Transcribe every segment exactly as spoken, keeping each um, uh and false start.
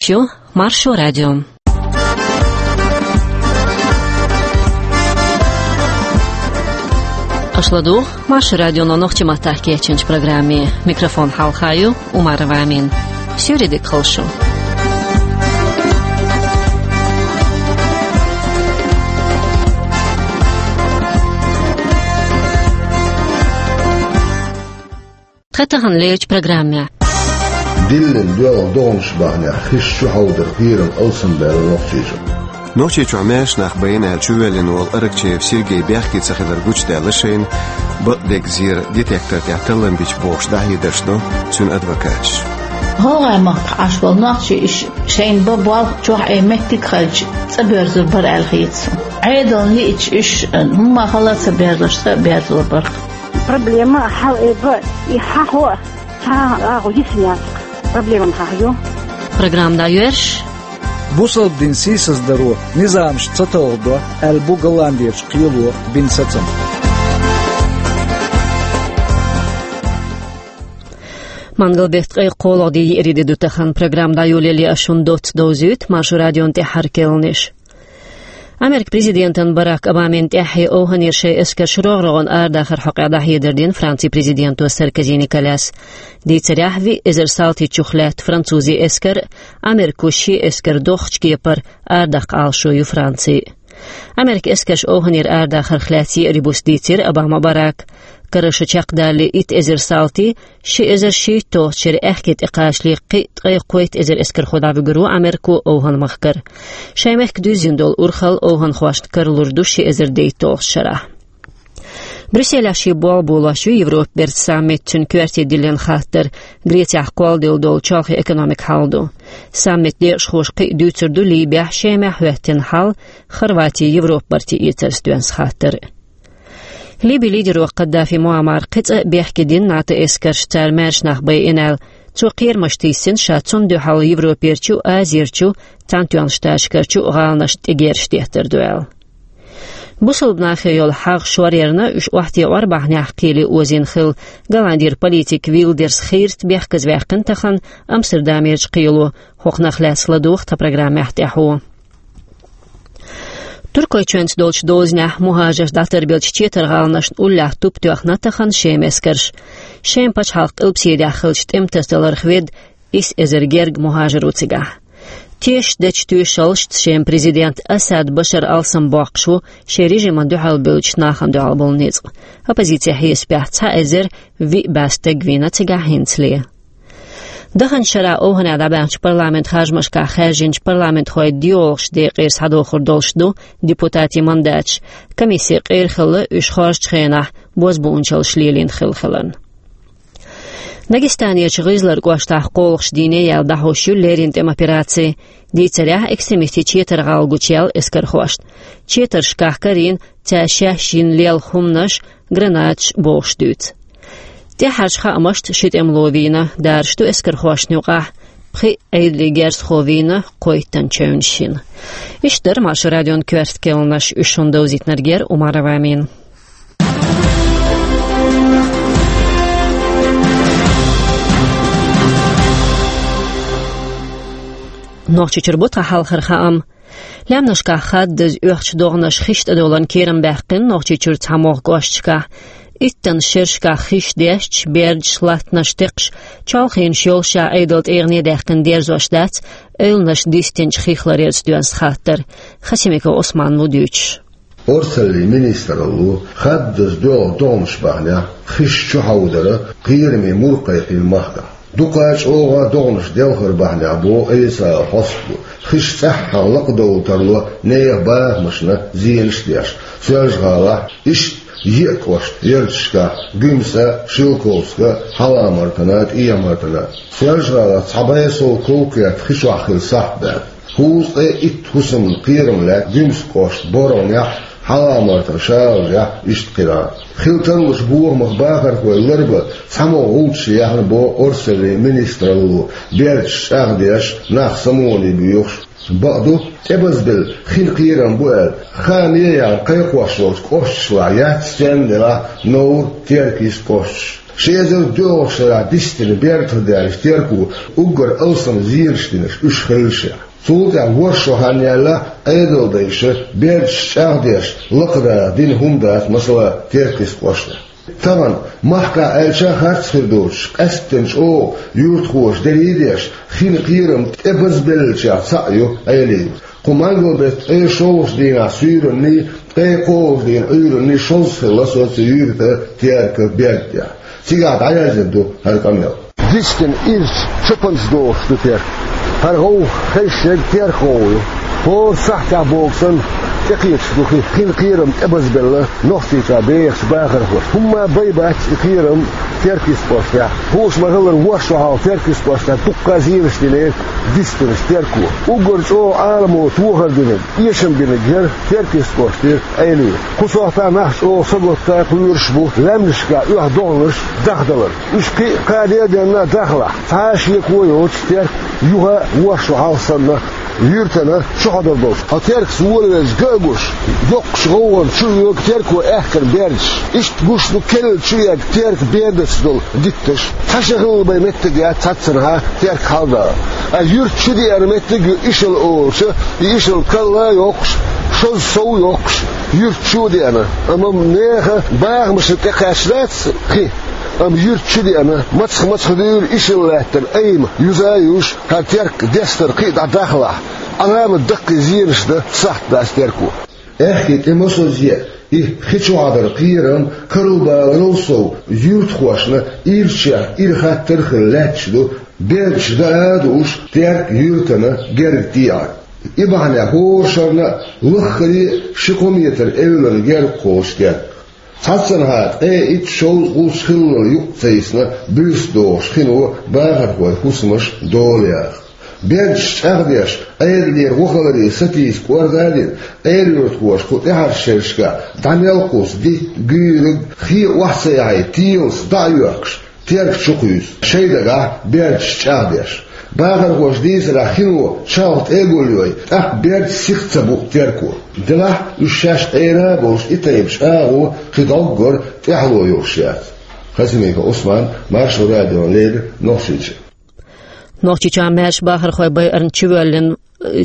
Шу Маршо радио. Аша ладугӀу Маршо радионо нохчийн маттахь кечйинчу программе. Микрофон хьалха ю Умарова Амина. Суьйре дика хуьлда шу. Тхан тахана лерчу программехь. Диллина доьлху догӀанаш бахьанехь хиш чухьовдаран кхерам алсамбаьлла Нохчийчохь. Нохчийчохь маьрша нах байна аьлла чувоьллина волу Аракчеев Сергей бехке ца хилар гучудаьлла шайна, бакъдерг зер детектор тӀехь таллам бича бохуш дӀахьедарш до цуьнан адвокаташа. ГӀалгӀайн махкахь Ӏаш болу нохчий иша шайна бан болх чохь а меттиг хилча цӀа боьрзур бара аьлла хета суна. Ӏедална лиъча уьш хӀумма хала а ца берзош цӀа а берзор бара. Проблема хьал а бан, и хьахо а, цхьа а агӀо йисина яц. Проблема хьахо ю. Программа дӀайоьрзуш. Бусалба дин сийсаздаро низамаш ца талхадо аьлла бу Голландерчу кхело бина сацам. Мангал-беттан ткъе кхоалгӀа де, еарин де ду тахана. Программа дӀайолале ас шуна доцца довзуьйту Маршо радион тӀаьххьара керланаш. Америкин президентан Барак Обамин тӀаьххье ОвхӀанера шайн эскарш рогӀ-рогӀана арадахаран хьокъехь дӀахьедар дина Францин президенто Саркози Николяс. Дийцарехь, виъ эзар салтичух лаьтта французийн эскар Америко шен эскар дохучу кепара арадаккха Ӏалашо ю Францин. Америкин эскарш ОвхӀанера арадахарх лаьцна еарин буса дийцира Обама Барака. Караша чекхдалале итт эзар салти, ши эзар шийтталгӀачу шеран аьхке тӀекхачале кхин а ткъе кхойтта эзар эскархо дӀавуьгур ву Америко ОвхӀан-махкара. Шайн мехкан дуьззина долу урхалла овхӀанхошна каралур ду ши эзар дейтталгӀачу шарахь. Брюсселехь шен болх болош ю Европан бертан саммит, цуьнан коьрте диллина хаттар Грецехь кхолладелла долу чолхе экономикан хьал ду. Саммитан декъашхоша кхин а дуьйцур ду Либехь, Шемахь хӀоьттина хьал, Хорватин Европан барте эцарца доьзна хаттар. Либин лидеро Каддафи Муаммара кхин цкъа а бехке дина НАТО эскарш, цара маьрша нах байина аьлла. Цо кхерамаш тийсина, ша цунна дуьхьал Европерчу а, Азерчу а, Цхьаьнатоьхначу Штаташкарчу а гӀаланашна тӀегерзаш деттар ду аьлла. Бусалба нахе йолу хьагӀ шоръярна, уьш охьатаӀор бахьанехь кхеле озийна хилла. Голландера политик Вилдерс Хирст бехказаваьккхина тахана Амстердамерчу кхело, хӀокхунах лаьцна ладугӀу тхан программехь тӀаьхьо. Туркойчоьнца долчу дозанехь мухӀажарш дӀатарбеллачу четаргӀаланашна уллехь туп тоьхна тахана Шеман эскарша. Шеман пачхьалкхан Къилбаседехь хиллачу тӀематасадаларх ведда исс эзар гергга мухӀажар ву цигахь. Тешаш дечу тоьшаллашца Шеман президент Асад Башар алсамбоккхуш ву шен режимна дуьхьал бевллачу нахана дуьхьал болу ницкъ. Оппозицин хьесапехь цхьа эзар виъ бӀе стаг вийна цигахь хӀинцале. Даханчу шарахь ОвхӀанехь дӀабаьхначу парламентан харжамашкахь хаьржинчу парламентхойн доьалгӀачу декъера схьадохур долуш ду депутатийн мандаташ. Комисси къера хилла уьш хоржучу хенахь бозбуунчаллаш лелийна хилла хиларна. Дагестанерчу ГӀизлар кӀоштахь кхоалгӀачу дийне яьлла дӀахьош ю леррина тӀеман операци. Дийцарехь, экстремистийн четаргӀалла гучуяьлла эскархошна. Четаршкахь карийна цаьршинна лелла хӀуманаш, гранаташ бохуш дуьйцу. ТӀаьххьарчу хаамашца ши тӀемало вийна, дараш ду эскархошна юкъахь, пхи Ӏедалан герзахо вийна, кхойттана чевнаш йина. Иштта дара Маршо радион коьрта керланаш, уьш шуна довзийтинарг яра Умарова Амина. Нохчийчуьра бу тхан хьалхара хаам. Лаьмнашкахь хаддаза оьхучу догӀанаш хиш тӀедовларна кийрам баьккхина Нохчийчуьра цхьамогӀа кӀошташкахь. Иттанна шерашкахь хиш дешча, бердаш, латтанаш текхаш, чолхенаш йолуш а Ӏедал тӀегӀане даьккхина дерзош дац эвланаш дистинчу хих ларъярца доьзна хаттар. Хасимиков Ӏусман ву дуьйцуш. Орцаллин министралло хаддаза доьлху догӀанаш бахьанехь хиш чухьовдаран кхераме мур кхайкхийна махкахь. Дукха чӀогӀа догӀанаш делхар бахьанехь, боху Ӏийсас хьостанаша, хиш цӀеххьана лакхадовла тарло нехан бахамашна зенаш а деш. Соьлжа-ГӀалахь иштта еа кӀошт, ярташкахь Гуьмсан, Шелковскан, Хьалха-Мартанан, ТӀехьа-Мартанан. Соьлжа-ГӀалахь цхьа бӀе сов ков-керт хи чохь хилла сахьт даьлла. ХӀузткъе итт хӀусамна кхерам лаьтта Гуьмсан кӀоштан БоргӀанехь, Хьалха-Мартанан ШалажӀехь, иштта кхидӀа. Хила тарлучу бохамах бахархой ларбан цхьамогӀа гӀулчаш яьхна, боху Орцаллин министралло, бердаш чӀагӀдеш, нах самогӀане боьхуш. Бакъду, тӀебазбелла хин кхерам бу аьлла, хааме а яьхна кхайкхош йолчу кӀошташлахь яц царна делахь Новр, Теркйист кӀошташ. Ши эзар доьалгӀачу шарахь дистина берда тӀе даьллачу Терко уггар алсам зенаш динарш уьш хилла шех. Цул тӀаьхьа ворхӀ шо хан яьлла Ӏедалдайша бердаш чӀагӀдеш лакхара дина хӀума дац, масала, Теркйист кӀоштахь. Тахана, махкахь аьлча, харц хир доцуш, къаьсттина чӀогӀа юьртахоша дерриг а деш, хин кхерам тӀе базбеллачех цхьаъ ю Ӏелий. Кху мангал-беттан ткъе шолгӀачу дийнахь суьйранний, ткъе кхоалгӀачу дийнахь Ӏуьйранний шозза хилла со цу юьртан Теркан берда тӀехь. Цигахь дӀаяздина ду хӀара къамел. Дистина ирча чопанца дохуш ду Терк. ХӀара гӀовгӀа хезаш ерг Терк гӀовгӀа ю. ХӀора сахьтехь боху санна, тӀекхеташ ду хи-, хин кхерам тӀе базбелла Нохчийчохь бехачу бахархоша. ХӀумма а бай бац и кхерам Теркйист кӀоштахь. Хууш ма-хиллара, ворхӀ шо хьалха Теркйист кӀоштахь дуккха а зенаш динера дистинарш Терко. Уггар чӀогӀа Ӏаламо тохар динарг, эшам бинарг яра Теркйист кӀоштара Ӏелий. Кху сохьтахь нах чӀогӀа сагатта а кхоьруш бу, лаьмнашкахь оьху догӀанаш дахдалар. Уьш кхин а кхаде а денна дахлахь, цхьа а шеко йоцуш Терк юха а ворхӀ шо хьалха санна юьртана чухьадар долуш. Хьо Теркаца волавелча ган а гуш, йоккхачу гӀовгӀанна чу а йоьгу Терко аьхкаран бердаш. Иштта гуш ду керла чу а егна Теркан бердаца долу дитташ. Цхьа ши хилла бен меттиг яц цхьаццанхьа Терк хьалдала. Ткъа юьрта чу деана меттиг а ю Ишал олучу, и Ишал карла а йоккхуш, шозза сов а йоккхуш, юьрта чу а деана. Амма нехан бахамашна тӀекхаьчна дац хи, амма юьрта чу деана, мацах-мацах дуьйла Ишал лаьттина айма юза а юьйш, хӀара Терк дестар кхин а дӀадахлахь, Ӏаламат даккхий зенаш дан сахьт дац Терко. Аьхки тӀе масазъе а, и хи чохь дара кхерам, карла баларал сов, юьртахошна ирчех ира хаттар а хилла лаьтташ ду, бердаш даа а дууш, Терк юьртана герга тӀеӀар. И бахьанехь хӀора шарна а лаххаре а ши-кхо метр эвлара герга кхочу Терк. Цхьаццанхьа ткъе итт, шовзткъа, кхузткъа хиллал юкъ ца йисна, буьйса дохуш хино бахархойн хӀусамаш дола яха. Бердаш чӀагӀдеш, Ӏедалера вахаларе сатийса кӀорда а дина, Ӏелоьртахоша кху тӀаьхьарчу шерашкахь дӀа мел кхуссу дитт, гуьйриг, хи а охьа ца яхьий, телаца дӀа а йоьхкуш, Терк чу кхуьйсу. Шайн дагахь бердаш чӀагӀдеш. Бахархоша дийцарехь, хино чалха тӀе а гулйой, тӀаккха бердаш сиха ца буу Терко. Делахь а уьш шаьш Ӏера а болуш, и тайпа чӀагӀо кхин дӀоггара тӀаьхьало йолуш яц. Хасимиков Ӏусман, Маршо радиона леррина, Нохчийчоь. Нохчийчохь маьрша бахархой байарна чувоьллина,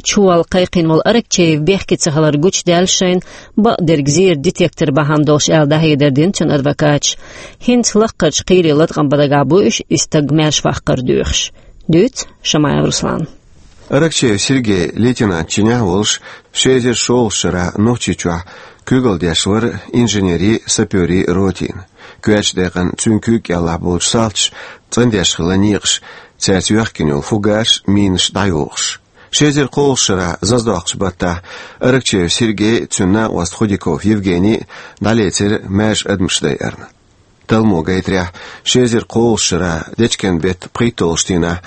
чуволла кхайкхийна волу Аракчеев бехке ца хилар гучудаьлла шайна, бакъдерг зеран детектор бахьана долуш аьлла дӀахьедар дина цуьнан адвокаташа. ХӀинца лаккхарчу кхийрийн латкъам бан дагахь бу уьш и стаг маьрша ваккхар доьхуш. Дуьйцу Шамаев Руслана. Аракчеев Сергей лейтенант чинехь а волуш, ши эзар шолгӀачу шарахь Нохчийчохь куьйгалла деш вара инженерийн, саперийн ротина. Коьртачу декъана цуьнан куьйга кӀелахь болчу салташа цӀандеш хилла некъаш, цаьрца йоьхкина йолу фугасаш, минаш дӀайохуш. Ши эзар кхоалгӀачу шарахь зазадоккхучу баттахь Аракчеев Сергей а, цуьнан накъост Худяков Евгений а дӀалецира маьрша адамаш дайарна. Талламо гайтарехь, ши эзар кхоалгӀачу шарахь дечкен беттан пхийтталгӀачу дийнахь,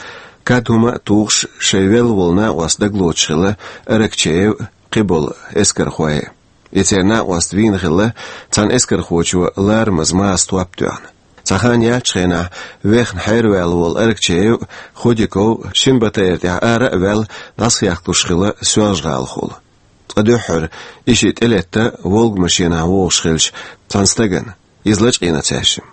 кад хӀума а тухуш, шайн велла волу накъост дагалоцуш хилла Аракчеев а, кхиболу эскархой а. И церан накъост вийна хилла цхьана эскархочо ларамаза маса топ тоьхна. Цхьа хан яьллачу хенахь вехна хьераваьлла волу Аракчеев а, Худяков а шина батарейна тӀехь ара а ваьлла, дӀасахехкалуш хилла Соьлжа-ГӀалахула. Цкъа дуьххьара и шиъ тӀелетта Волга машенахь вогӀуш хилча цхьана стагана, иза лачкъийна цаьршимма.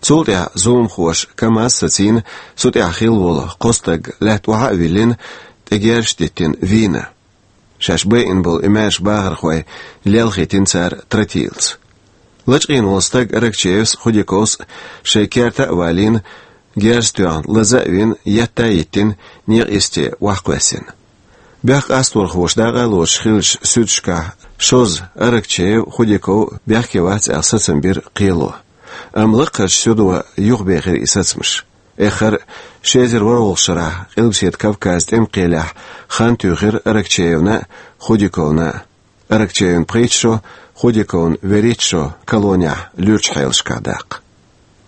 Цул тӀаьхьа зуламхоша КамАЗ сацийна, цу тӀехь хилла волу кхо стаг лаьтта охьа а виллина, тӀе герзаш а диттина, вийна. Шаьш байина болу и маьрша бахархой лелхийтина цара тротилца. Лачкъийна волу стаг Аракчеевс а, Худяковс а шайн керта а валийна, герз а тоьхна, лаза а вина, етта а йиттина, некъа йисте охьакхоьссина. Бехк къасторхоша дакъа а лоцуш хиллачу суьдашкахь шозза Аракчеев а, Худяков а бехке вац аьлла сацам бира кхело. Амма лаккхарчу суьдо юхабехира и сацамаш. Эххар а, ши эзар ворхӀалгӀачу шарахь Къилбаседа Кавказан тӀеман кхелехь хан туьйхира Аракчеевна а, Худяковна а. Аракчеевна пхийтта шо, Худяковна вуьрхӀитта шо колонехь луьрачу хьелашкахь даккха.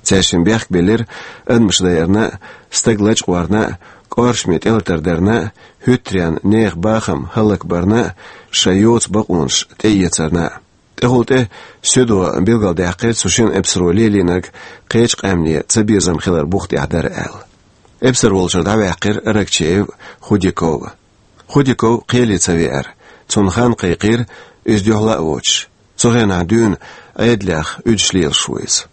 Цаьршимма бехк биллира адамаш дайарна а, стаг лачкъорна а, кӀоршаме тӀелатар дарна а, хӀуьттаренна нехан бахам хӀаллакбарна а, шайн йоцу бакъонаш тӀеэцарна а. ТӀехула тӀе суьдо билгалдаьккхира цу шина эпсаро лелийнарг кхечу къаьмнийн цабезам хилар бух тӀехь дара аьлла. Эпсар волчуьра дӀаваьккхира Аракчеев а, Худяков а. Худяков кхеле ца веара, цунна хан кхайкхийра, иза дуьхьал а воцуш. Цу хенахь дуьйна Ӏедалех уьдуш лелаш ву иза.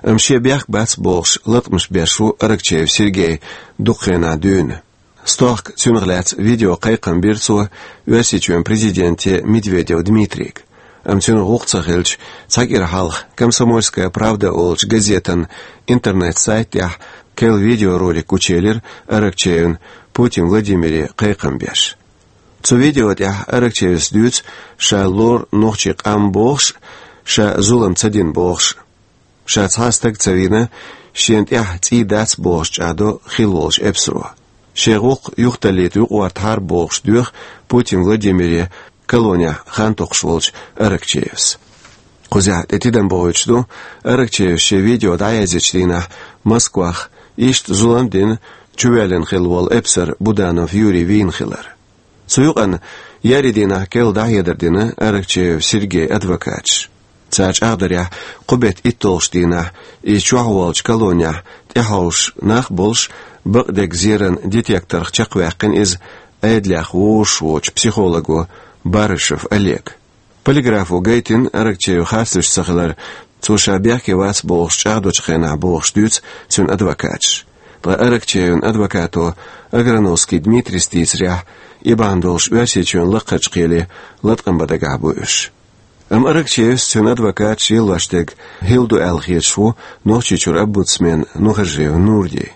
Амма шен бехк бац бохуш латкъамаш беш ву Аракчеев Сергей дукха хенахь дуьйна. Стохка цуьнах лаьцна видео кхайкхам бира цо Оьрсийчоьнан президенте Медведев Дмитрийга. Амма цуьнан гӀуллакх ца хилча, цхьа кӀира хьалха «Комсомольская правда» олучу газетан интернет-сайта тӀехь керла видеоролик гучуелира Аракчеевна Путин Владимире кхайкхам беш. Цу видео тӀехь Аракчеевс дуьйцу ша лору нохчийн къам бохуш а, ша зулам ца дина бохуш а. Ша цхьа а стаг ца вийна, шена тӀехь цӀий дац бохуш чӀагӀдо хилла волчу эпсаро. Шен гӀуллакх юхаталлийта юкъаӀоттахьара бохуш доьху Путин Владимире колонехь хан токхуш волчу Аракчеевс. Кхузахь тӀе тидам бохуьйтуш ду, Аракчеевс шен видео дӀаязъечу дийнахь Москвахь иштта зулам а дина, чувоьллина хилла волу эпсар Буданов Юрий вийна хилар. Цу юкъана еарин дийнахь керла дӀахьедар дина Аракчеев Сергей адвокаташ. Цара чӀагӀдарехь, кху беттан итталгӀачу дийнахь иза чохь волчу колонехь тӀехьовсуш нах а болуш, бакъдерг зеран детекторх чекхваьккхина иза Ӏедалех вовшахволчу психолого Барышев Олега. Полиграфо гайтина Аракчеев харцдерш ца хилар, цо ша бехке вац бохуш чӀагӀдочу хенахь, бохуш дуьйцу цуьнан адвокаташ. Ткъа Аракчеевн адвокато Аграновский Дмитрийс дийцарехь, и бахьана долуш Оьрсийчоьнан лакхарчу кхеле латкъам бан дагахь бу уьш. Амма Аракчеевс, цуьнан адвокаташ лелош дерг хилла ду аьлла хеташ ву Нохчийчуьра омбудсмен Нухажиев Нурди.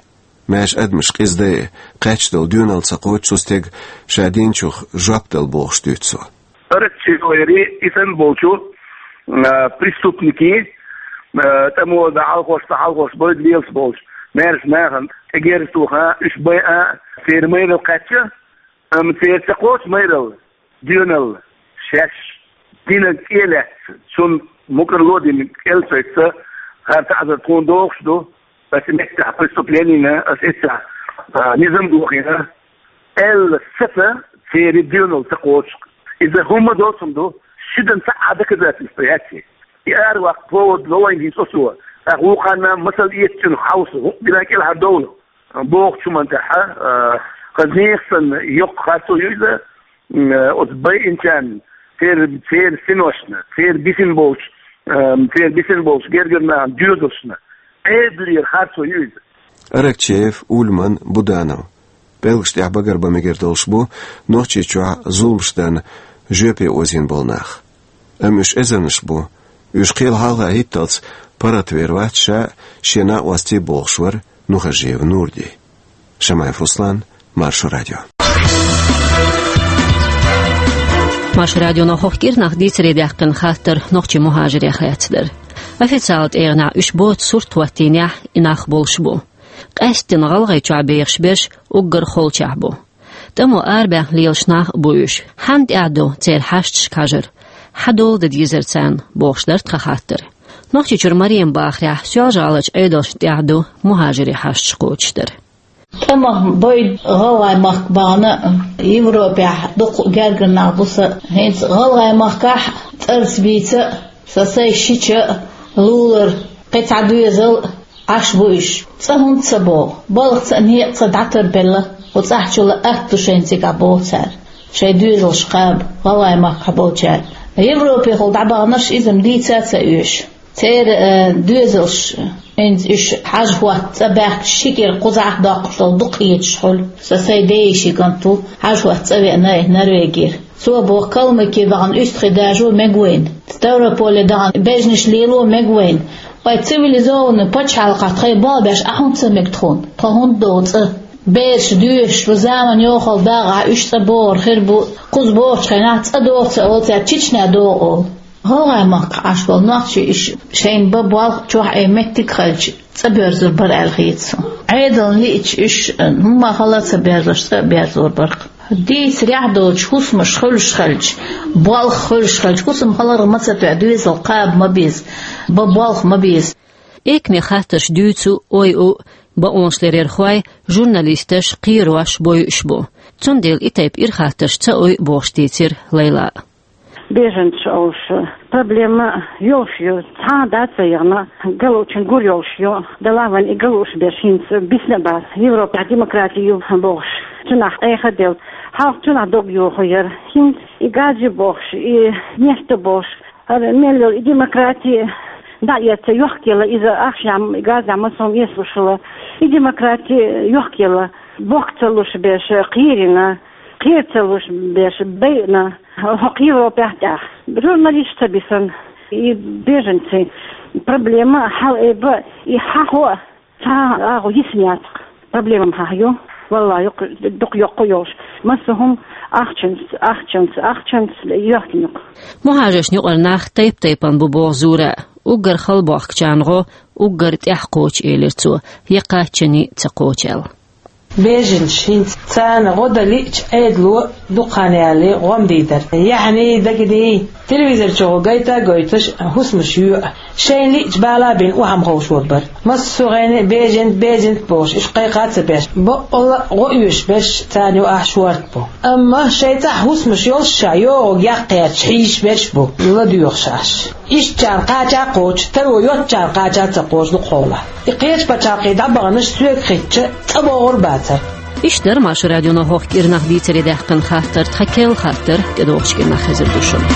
Маьрша адамаш къиза дайа, кхаьчна долу доьналла ца кхочу цу стеган ша динчух жоп дала бохуш дуьйцу цо. Аракчееври и санна болчу, а, преступники, а, тӀамо дан хьалхош, ца хьалхош бойда лелаш болчу маьрша нахана тӀе герз тоха, уьш байа, церан майралла кхаьчча, амма церан ца кхочу майралла, доьналла, шаьш динарг цӀе а лаьцна, цунна мукӀарло а дина, кӀел а сойцца, хӀара таӀзар тхуна дохуш ду, аса меттехь преступленина, аса эццехь, а, низам дохийна, аьлла саца церан доьналла ца кхочуш. Иза хӀумма доцург ду, шуьдан цхьа а доказательство яц и. И араваккха повод ло вайна хӀинца оцо. ТӀаккха вукхарна масал эцчунах хьовса, хӀу-, дина кӀелхьардовла. Бохучу хӀуманна тӀехь, а, хаза нехан санна йоккха харцо ю иза, м, оцу байинчарна, церан, церан синошна, церан бисина болчу, а, церан бисина болчу гергара нахана доьзалшна, Ӏедалера харцо ю иза. Аракчеев, Ульман, Буданов. ПӀелгаш тӀехь багарбан мегар долуш бу Нохчийчохь зуламаш дарна жоьпе озийна болу нах. Амма уьш эзарнаш бу. Уьш кхел хьалха хӀитталц паргӀатвер вац ша, шен накъостий, бохуш вара Нухажиев Нурди. Шамаев Руслан, Маршо радио. Маршо радионо хӀокху кӀирнах дийцаре даьккхина хаттар нохчийн мухӀажирех лаьцна дара. Официалан тӀегӀанехь уьш боцу сурт хӀоттийнехь и нах болуш бу. Къаьсттина ГӀалгӀайчохь бехаш берш уггар холчохь бу. ТӀамо арабаьхна лелаш нах а бу уьш. Хьанна тӀехь ду церан хьашташка хьажар? Хьан дола дан дезара царна, бохуш дара тхан хаттар. Нохчийчуьра Марема бахарехь, Соьлжа-ГӀаларчу Ӏедалшна тӀехь ду мухӀажирийн хьашташ кхочушдар. ТӀамах бойда ГӀалгӀай махка бахана, Европехь дукха гергара нах бу сан. ХӀинца ГӀалгӀай махкахь цӀарца бийца а, сан сайн шича а лулара, кхин цхьа доьзал а Ӏаш бу уьш. ЦӀа хӀунда ца богӀу? Балхаца а, некъаца а дӀатарбелла, хӀу цӀахь чу лаьтта ду шайна цигахь, боху цара. Шайн доьзалш кхаба, ГӀалгӀай махкахь болчара. Европехула дӀабаханарш иза-м дийца а ца оьшу. Церан, э, доьзалш, хӀинца уьш хьажа-хӀотта цӀа баьхкича, ши кӀира кхузахь а доккхуш долу дукха хеташ хуьлу. Сан сайн ден йишин кӀант ву, хьажа-хӀотта цӀа веана и Норвегера. Цо боху, Калмыке дахана уьстагӀий дажо мега вайна. Ставрополе дахана бежнаш лело мега вайна. Вай цивилизованный пачхьалкхахь тхайн болх беш Ӏа хӀунда ца мега тхуна? Тхо хӀунда догӀу цӀа? Бераш доьшуш, вайн заман йохалла дагӀахь уьш цӀа богӀур хир бу, кхуза богӀучу хенахь цӀа догӀу ца олу цара, Чечне догӀу олу. ГӀалгӀай махкахь Ӏаш болу нохчий уьш шайна бан болх чохь Ӏе меттиг а хилча, цӀа боьрзур бара аьлла хета суна. Ӏедална лиъча уьш, хӀумма хала а ца берзош, цӀа а берзор бара-кх. Дийцарехь долчу хӀусамаш хуьлуш хилча, болх хуьлуш хилча, хӀусам хиларх ма ца тоьа, доьзал кхаба ма беза, бан болх ма беза. Экаме хаттарш дуьйцу, ойу бакъонашлерерхой, журналисташ, кхерош, бойуш бу. Цундела и тайпа ирхаттарш ца ойу бохуш дийцира Лайла. Беженцаш олуш проблема йолуш ю, цхьа а дац ца яхана, галочун гур йолуш ю, дала вайн и галуш берш хӀинца бисна бац, Европа демократи ю бохуш, цунах тӀеха а делла, хьалха цунах дог йоху яра, хӀинца и газ ю бохуш, и нефть ю бохуш, хӀара мел йолу и демократи, Да, я ца йохкела, иза ахшам газа масом ислушала. И демократи йохкела. Бок ца луш беш, кхирина, кхир ца луш беш, бейна. Хокк Европа тях. Журналист ца бисан. И беженцы. Проблема хал эба, и хахо, ца агу йисняцк. Проблема хахю. Валла, юк, дук йокку йош. Масухум ахчанц, ахчанц, ахчанц, йохкинюк. Мухажеш нюкъар нах тайп-тайпан бу богъ зура. Уггар халбохк чангъо, уггар тӀехкъоч элир цо, якъаччани ца кхочел. Беженцы хӀинца царна гӀо далича, Ӏедало дукхана яьлли гӀом дийдар. Яхьни дагадий, телевизор чу гӀо гайта а гойташ, хӀусамаш йоьа. Шайн лиъча бала бин у хьам ховш вод бар. Массо гӀайна беженцы, беженцы бохуш, иш кхайкха а ца беш. Баккъала гӀо оьшуш берш царна юкъахь шорта бу. Амма шайн цӀахь хӀусамаш йолуш ша, йогӀуг яккхаьрча хьийзаш берш бу, ладоьгӀуш Ӏаш. Ишттачарна кхача а кхочу, таро йоцчарна кхача а ца кхочу дукха хьолахь. И кхечу пачхьалкхе дӀабаханаш соьга хитча, цӀа богӀур бацара. Иштта дара Маршо радионо хӀокху кӀирнах дийцаре даьккхина хаттар, тхан керла хаттар, тӀедогӀучу кӀирнах хезар ду шуна.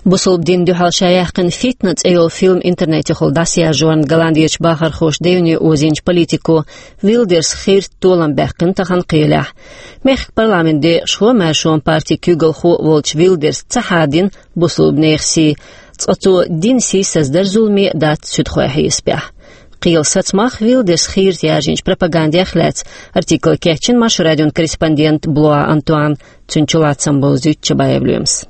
Бусалба дин дуьхьал ша яьккхина «Фитна» цӀе йолу фильм интернетехула дӀасаяржорна Голландерчу бахархоша девне озийначу политико Вилдерс Хирт толам баьккхина тахана кхелехь. Мехкан парламент декъашхо, Маршонан партин куьйгалхо а волчу Вилдерс ца хьадина бусалба нехан сий, цкъа цо дин сийсаздар зуламе а дац суьдхойн хьесапехь. Кхелан сацамах, Вилдерс Хирта яржинчу пропагандех лаьцна артикл кечйина Маршо радион корреспондент Блуа Антуан, цуьнан чулацам бовзуьйту Чабаев Лоьмас.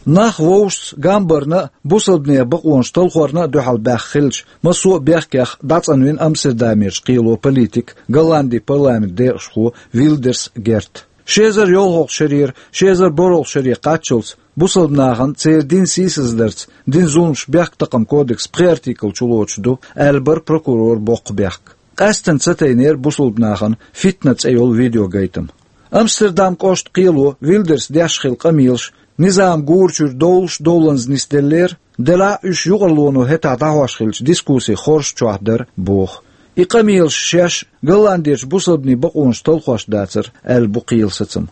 Нах вовшашца гамбарна а, бусалбанийн бакъонаш талхорна а дуьхьал баьхна хилча, массо а бехкех дӀацӀанвина Амстердамерчу кхело политик, Голландин парламент декъашхо Вилдерс Герт. Ши эзар йолхалгӀа шарера ши эзар борхӀалгӀа шаре кхаччалц бусалба нахана церан дин сийсаздарца дина зуламаш бехктакхаман кодексан пхи артикл чулоцуш ду, аьлла бара прокуроран боккха бехк. Къаьсттина ца тайнера бусалба нахана «Фитна» цӀе йолу видеогайтам. Амстердам кӀоштан кхело Вилдерс деш хилла къамелаш низам гурачуьра довлуш довланза нисделлера, делахь а уьш юкъарлоно хӀетахь дӀахьош хиллачу дискуссин хорша чохь дара, боху. И къамелаш шаьш Голландерчу бусалбанийн бакъонаш талхош дацара, аьлла бу кхелан сацам.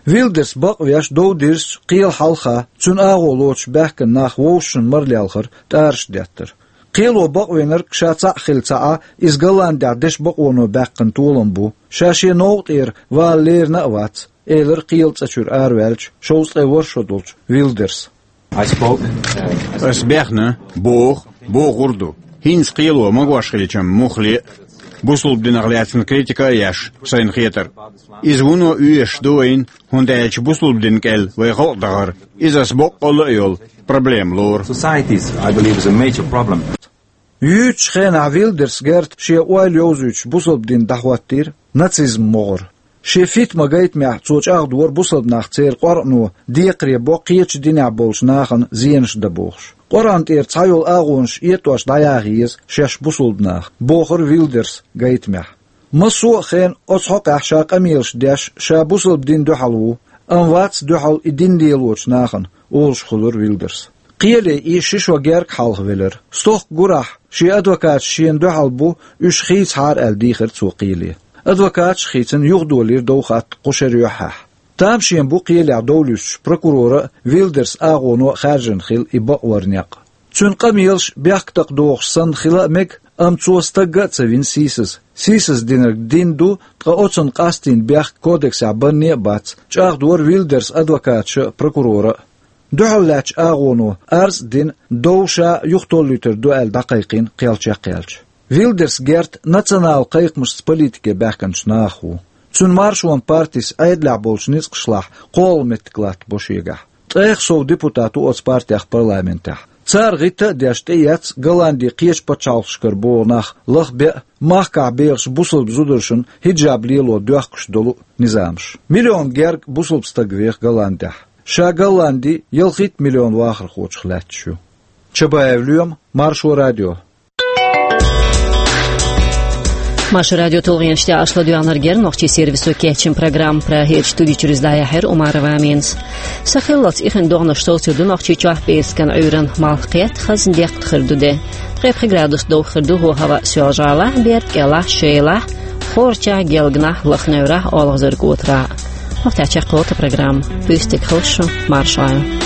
Вилдерс бакъвеш дов дирзича, кхелан хьалха, цуьнан агӀо лоцуш баьхкина нах вовшашна марлелхар тӀараш деттара. Кхело бакъвинарг ша цхьаъ хилла ца Ӏа, иза Голландехь дешан бакъоно баьккхина толам бу, ша шен новкъа тӀера вала лерина а вац, элира кхелан цӀа чуьра араваьллачу шовзткъе ворхӀ шо долчу Вилдерса. Ас бехна, боху, бохур ду. ХӀинца кхело магош хилчам муххале а, бусалба динах лаьцна критика а еш, сайна хетара. Иза вуно оьшуш ду вайна, хӀунда аьлча бусалба дин кӀел вай халкъ дахара. Иза ас боккъалла а йолу проблема лору. Societies, I believe, is a major problem. Юьйцучу хенахь Вилдерс Герта шен ойла йовзуьйтуш бусалба дин дӀахӀоттийра нацизм могӀара. Шен «Фитма» гайтамехь цо чӀагӀдора бусалба нах церан къоръано декхаре бо кхечу динехь болчу нахана зенаш дан бохуш. Къоръан тӀера цхьайолу агӀонаш этӀош дӀаяха еза шаьш бусалба наха, бохура Вилдерс гайтамехь. Массо а хенахь оцу хьокъехь ша къамелаш деш, ша бусалба дин дуьхьал ву, амма вац дуьхьал и дин лелочу нахана, олуш хуьлура Вилдерс. Кхеле и ши шо герга хьалха велира. Стохка гурахь, шен адвокаташ шена дуьхьал бу, уьш хийцахьара аьлла дийхира цо кхеле. Адвокаташ а хийцина юхадолийра дов хатта кху шеран юьххьехь. Тамашийна бу кхелехь дов луьстуш прокуроран а, Вилдерс агӀонан а хаьржина хилла и бакъваран некъ. Цуьнан къамелаш бехктакхадохуш санна хила а мега, амма цо стагга а ца вина сийсаза. Сийсаздинарг дин ду, ткъа оцунна къастийна бехк кодексехь банне а бац, чӀагӀдора Вилдерс адвокаташа а, прокурора а. Дуьхьал лаьттачу агӀоно арз а дина, дов ша юхатоллуьйтур ду аьлла дӀакхайкхийна кхел чекхъяьлча. Вилдерс Герт национал кхайкхамашца политике баьхкинчу нахах ву. Цуьнан Маршонан партис Ӏедалехь болчу ницкъашлахь кхоалгӀа меттиг латтабо шегахь. Ткъех сов депутат ву оцу партех парламентехь. Цара гӀитта а деш тӀеэцна Голланди кхечу пачхьалкхашкара богӀу нах лахбе а, махкахь бехачу бусалба зударшна хиджаб лело доьхкуш долу а низамаш. Миллион герга бусалба стаг веха Голландехь. Ша Голланди ялхитта миллион вахархочух лаьтташ ю. Чабаев Лоьма, Маршо радио. Маршо радио тулгӀенаш тӀехь аша ладоьгӀнарг яра нохчийн сервисо кечйина программа. Прагерчу студи чуьра иза дӀаяьхьира Умарова Аминас. Сахиллалц ихин догӀанаш совцур ду Нохчийчохь, пӀераскан Ӏуьйранна малх кхетта, хазна деккъа хир ду де. Ткъе пхи градус довха хир ду ХӀоахаваъ, Соьлжа-ГӀалахь, Берда-КӀелахь, Шелахь, Хорачахь, Гелганахь, Лаха-Неврахь, ОлгӀазарг-Отарахь. ХӀокху тӀехь чекхъяьлла тхан программа. Вуьйцург хилла шу, марша Ӏойла.